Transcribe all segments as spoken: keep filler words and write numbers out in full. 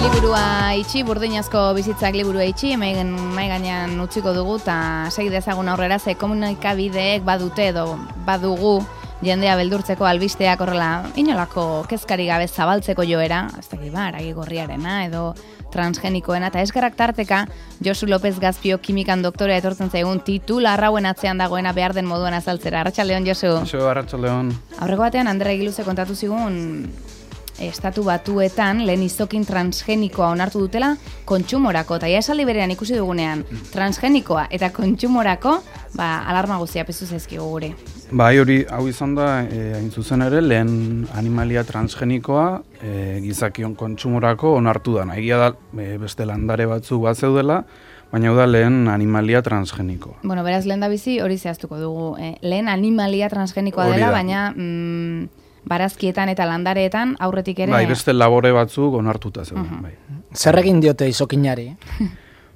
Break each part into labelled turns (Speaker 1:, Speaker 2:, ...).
Speaker 1: Liburua itxi, burdinazko bizitzak liburua itxi, mai gainean utziko dugu, eta segi dezagun aurrera, ze komunikabideek badute edo badugu jendea beldurtzeko albisteak horrela inolako kezkari gabe zabaltzeko joera, ez dakit ba, aragi gorriarena edo transgenikoena, eta eskerrak tarteka Josu López Gazpio kimikan doktorea etortzen zaigun titular hauen atzean dagoena behar den moduan azaltzera. Arratsaldeon, Josu.
Speaker 2: Josu, arratsaldeon.
Speaker 1: Aurreko batean Andre Egiluze kontatu zigun estatu batuetan lehen izokin transgenikoa onartu dutela kontsumorako, eta ja esaldi berean ikusi dugunean transgenikoa eta kontsumorako, ba, alarma guztia piztu zaizkigu gure.
Speaker 2: Bai, hori, hau izan da, e, hain zuzen ere, lehen animalia transgenikoa e, gizakion kontsumorako onartu da. Egia da, e, beste landare batzuk bat zeudela, baina hau da lehen animalia transgenikoa.
Speaker 1: Bueno, beraz, lehen da bizi hori zehaztuko dugu. E, lehen animalia transgenikoa dela, baina mm, barazkietan eta landareetan aurretik ere...
Speaker 2: Bai, beste labore batzuk onartuta zeuden. Uh-huh. Bai.
Speaker 3: Zer egin diote izokinari?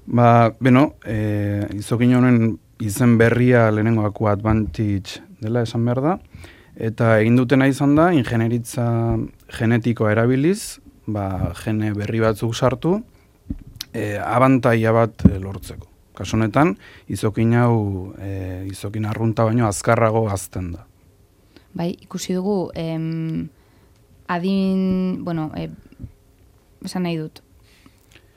Speaker 2: Ba, beno, e, izokin honen izen berria lehenengoako advantage dela esan behar da, eta egin dutena izan da, ingenieritza genetikoa erabiliz, ba, gene berri batzuk sartu, e, abantaia bat e, lortzeko. Kasu honetan, izokin hau, e, izokin arrunta baino azkarrago hazten da.
Speaker 1: Bai, ikusi dugu, em, adin, bueno, e, esan nahi dut,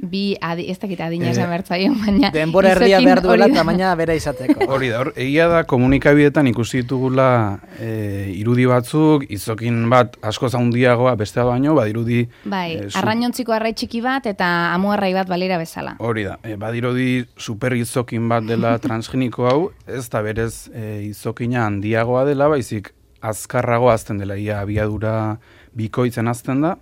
Speaker 1: bi, adi, ez dakit adina esan behar zaio, baina...
Speaker 3: Denbora erdia behar duela tamaina bera izateko.
Speaker 2: Hori da, hor, egia da komunikabidetan ikusi ditugula e, irudi batzuk, izokin bat asko zaundiagoa bestea baino, badirudi...
Speaker 1: Bai,
Speaker 2: e,
Speaker 1: arrainontziko arrai txiki bat eta amuarrai bat balira bezala.
Speaker 2: Hori da, e, badirudi super izokin bat dela transgeniko hau, ez da berez e, izokina handiagoa dela, baizik azkarrago azten dela, ia abiadura bikoitzen azten da.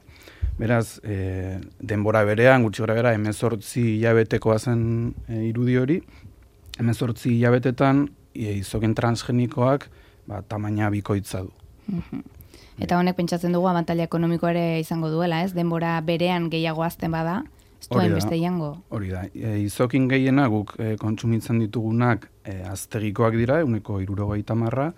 Speaker 2: Beraz, e, denbora berean, gutxi gara bera, hemezortzi hilabetekoa zen e, irudi hori. Hemezortzi hilabetetan e, izokin transgenikoak ba, tamaina bikoitza du.
Speaker 1: Uh-huh. Eta honek pentsatzen dugu abantaila ekonomikoa ere izango duela, ez? Denbora berean gehiago azten bada, ez duen beste jango.
Speaker 2: Hori da, e, izokin gehiena guk e, kontsumitzen ditugunak e, aztegikoak dira, eguneko hirurogeita hamarra,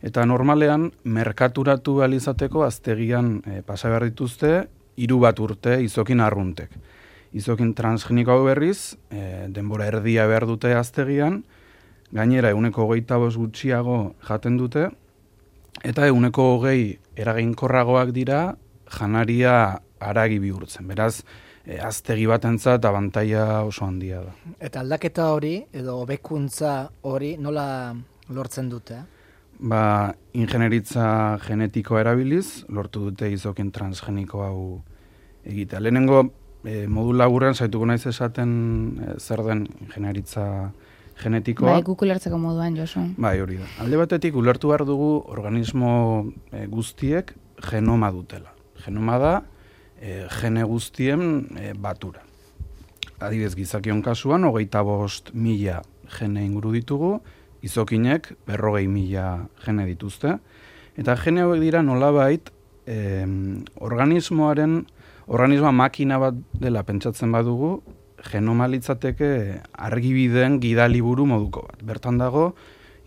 Speaker 2: eta normalean, merkaturatu alizateko aztegian e, pasa behar dituzte, hiru bat urte izokin arruntek. Izokin transgeniko hau berriz, e, denbora erdia behar dute aztegian, gainera eguneko hogeita bost gutxiago jaten dute, eta eguneko hogei eraginkorragoak dira janaria haragi bihurtzen. Beraz, e, aztegi batentzat abantaila oso handia da.
Speaker 3: Eta aldaketa hori, edo hobekuntza hori, nola lortzen dute?
Speaker 2: Ba, ingenieritza genetikoa erabiliz, lortu dute izokin transgeniko hau egitea. Lehenengo, e, modu laburrean, saituko naiz esaten e, zer den ingenieritza genetikoa.
Speaker 1: Bai, guk ulertzeko moduan, Josu.
Speaker 2: Bai, hori da. Alde batetik, ulertu behar dugu organismo e, guztiek genoma dutela. Genoma da, e, gene guztien e, batura. Adibidez, gizakion kasuan, hogeita bost mila gene inguru ditugu, izokinek berrogei mila gene dituzte. Eta gene hauek dira nolabait eh, organismoaren, organismoa makina bat dela pentsatzen badugu, genoma litzateke argibideen gidaliburu moduko bat. Bertan dago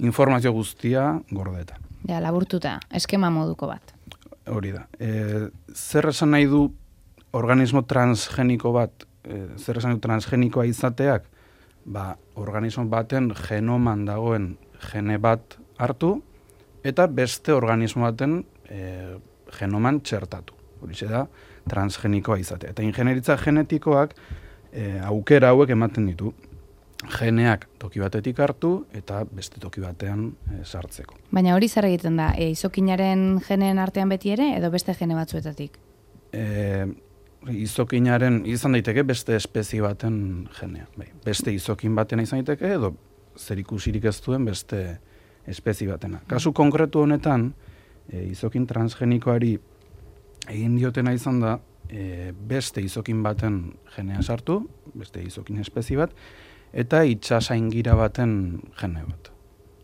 Speaker 2: informazio guztia gordeta.
Speaker 1: Ja, laburtuta, eskema moduko bat.
Speaker 2: Hori da. E, zer esan nahi du organismo transgeniko bat, e, zer esan du transgenikoa izateak, ba, organismo baten genoman dagoen gene bat hartu, eta beste organismo baten e, genoman txertatu. Horixe da, transgenikoa izatea. Eta ingenieritza genetikoak e, aukera hauek ematen ditu. Geneak toki batetik hartu, eta beste toki batean e, sartzeko.
Speaker 1: Baina hori zer egiten da, e, izokinaren geneen artean beti ere, edo beste gene batzuetatik?
Speaker 2: E, izokinaren izan daiteke beste espezie baten genea. Bai, beste izokin batena izan daiteke edo zerikusirik ez duen beste espezie batena. Kasu konkretu honetan, e, izokin transgenikoari egin diotena izan da e, beste izokin baten genea sartu, beste izokin espezie bat, eta itsasaingira baten gene bat.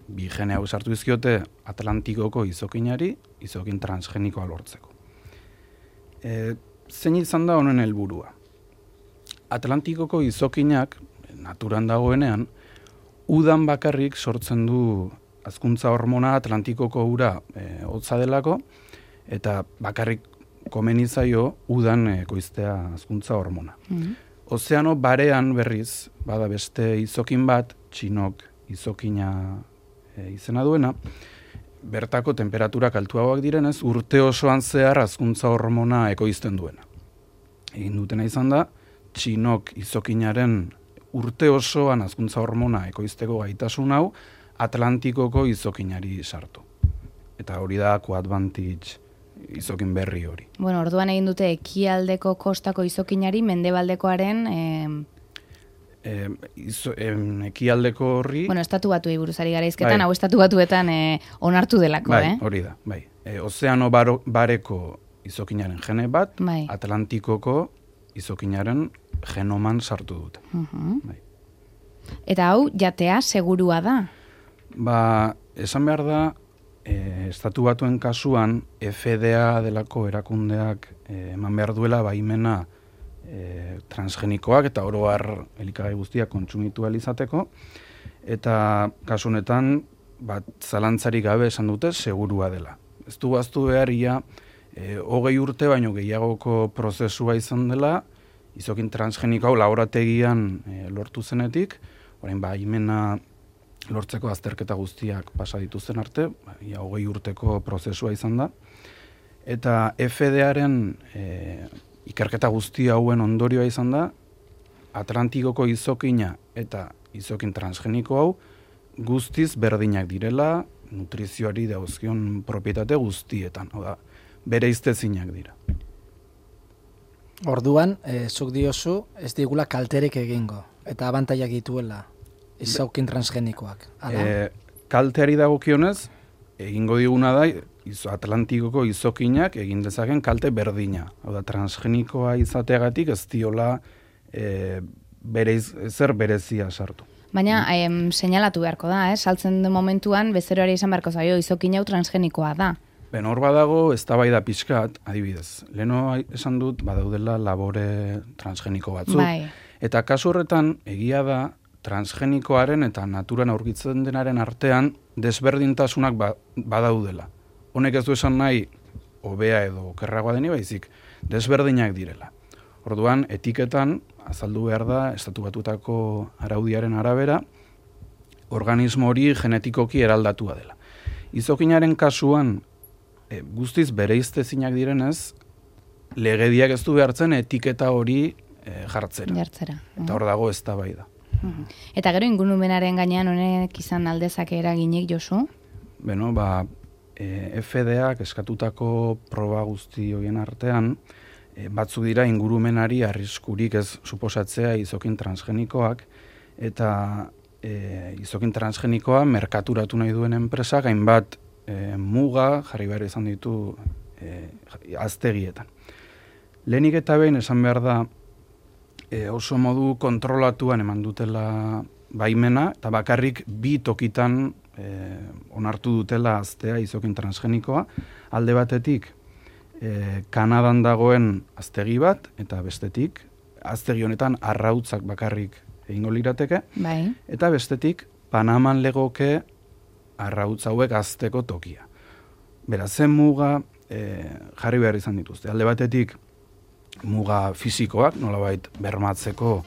Speaker 2: Bi gene hau sartu dizkiote Atlantikoko izokinari, izokin transgenikoa lortzeko. E, zein izan da honen helburua? Atlantikoko izokinak, naturan dagoenean, udan bakarrik sortzen du hazkuntza hormona Atlantikoko ura e, hotza delako, eta bakarrik komeni zaio udan ekoiztea hazkuntza hormona. Mm-hmm. Ozeano barean berriz, bada beste izokin bat, txinok izokina e, izena duena, bertako temperaturak altuagoak direnez, urte osoan zehar hazkuntza hormona ekoizten duena. Egin dutena izan da, txinok izokinaren urte osoan hazkuntza hormona ekoizteko gaitasun hau Atlantikoko izokinari sartu. Eta hori da Coadvantage izokin berri hori.
Speaker 1: Bueno, orduan egin dute ekialdeko kostako izokinari mendebaldekoaren eh...
Speaker 2: E, izo, em, ekialdeko horri...
Speaker 1: Bueno, estatu batuei buruz ari gara izketan, bai. Hau estatu batuetan eh, onartu delako,
Speaker 2: bai,
Speaker 1: eh?
Speaker 2: Hori da, bai. E, ozeano baro, bareko izokinaren gene bat, bai. Atlantikoko izokinaren genoman sartu dute.
Speaker 1: Uh-huh. Bai. Eta hau, jatea segurua da?
Speaker 2: Ba, esan behar da, e, estatu batuen kasuan, F D A delako erakundeak e, eman behar duela baimena e, transgenikoak eta oro har elikagai guztiak kontsumitu ahal izateko, eta kasu honetan, bat zalantzarik gabe esan dute segurua dela. Ez du baztu behar ia, e, hogei urte baino gehiagoko prozesua izan dela, izokin transgeniko hau laborategian e, lortu zenetik, orain baimena lortzeko azterketa guztiak pasa dituzten arte, ia hogei urteko prozesua izan da, eta F D A-ren e, ikerketa guzti hauen ondorioa izan da, Atlantikoko izokina eta izokin transgeniko hau guztiz berdinak direla, nutrizioari dauzkion propietate guztietan, oda, bere iztezinak dira.
Speaker 3: Orduan, e, zuk diozu, ez digula kalterek egingo, eta abantaiak dituela izokin transgenikoak.
Speaker 2: E, kalteari dagokionez, egingo diguna da, izo, Atlantikoko izokinak egin dezaken kalte berdina. Hau da, transgenikoa izateagatik ez diola e, bereiz, zer berezia sartu.
Speaker 1: Baina, em, seinalatu beharko da, eh? Saltzen den momentuan, bezeroari izan beharko zaio, izokin hau transgenikoa da.
Speaker 2: Ben, hor badago, eztabaida pixkat, adibidez. Leno esan dut, badaudela labore transgeniko batzuk.
Speaker 1: Bai.
Speaker 2: Eta kasu horretan, egia da, transgenikoaren eta naturan aurkitzen denaren artean desberdintasunak ba, badaudela. Honek ez du esan nahi, hobea edo okerragoa deni baizik, desberdinak direla. Orduan, etiketan, azaldu behar da, estatu batutako araudiaren arabera, organismo hori genetikoki eraldatua dela. Izokinaren kasuan, e, guztiz bereiztezinak direnez, legediak ez du behartzen etiketa hori e, jartzera.
Speaker 1: Jartzera.
Speaker 2: Eta hor dago eztabaida.
Speaker 1: Uh-huh. Eta gero ingurumenaren gainean honek izan aldezake eraginik, Josu?
Speaker 2: Beno, ba, e, F D Ak eskatutako proba guzti horien artean, e, batzu dira ingurumenari arriskurik ez suposatzea izokin transgenikoak, eta e, izokin transgenikoa merkaturatu nahi duen enpresak hainbat e, muga jarri behar izan ditu e, aztegietan. Lehenik eta behin esan behar da, e, oso modu kontrolatuan eman dutela baimena, eta bakarrik bi tokitan e, onartu dutela aztea izokin transgenikoa, alde batetik e, Kanadan dagoen aztegi bat, eta bestetik, aztegi honetan arrautzak bakarrik egingo lirateke,
Speaker 1: bai.
Speaker 2: Eta bestetik Panaman legoke arrautz hauek azteko tokia. Beraz, zen muga e, jarri behar izan dituzte. Alde batetik muga fisikoak, nolabait bermatzeko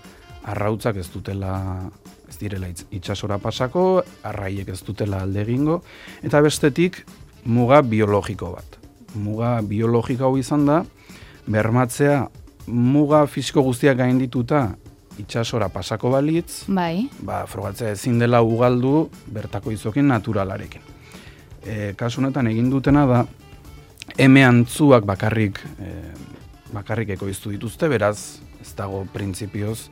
Speaker 2: arrautzak ez dutela, ez direla itsasora pasako, arraiek ez dutela alde egingo, eta bestetik muga biologiko bat. Muga biologiko hau izan da, bermatzea muga fisiko guztiak gaindituta itsasora pasako balitz,
Speaker 1: bai.
Speaker 2: Ba, frogatzea ezin dela ugaldu bertako izokin naturalarekin. E, kasu honetan egin dutena da, eme antzuak bakarrik e, bakarrik ekoiztu dituzte, beraz, ez dago printzipioz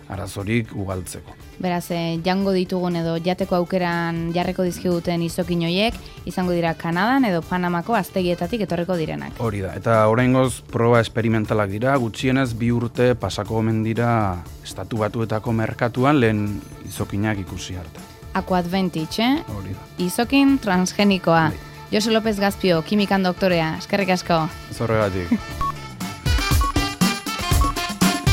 Speaker 2: arazorik ugaltzeko.
Speaker 1: Beraz, eh, jango ditugun edo jateko aukeran jarreko dizkiguten izokin hoiek, izango dira Kanadan edo Panamako aztegietatik etorreko direnak.
Speaker 2: Hori da, eta oraingoz proba esperimentalak dira, gutxienez bi urte pasako omen dira estatu batuetako merkatuan lehen izokinak ikusi arte.
Speaker 1: Aquadvantage, eh?
Speaker 2: Hori da.
Speaker 1: Izokin transgenikoa.
Speaker 2: Bai.
Speaker 1: Josu López Gazpio, kimikan doktorea, eskerrik asko.
Speaker 2: Ez horregatik.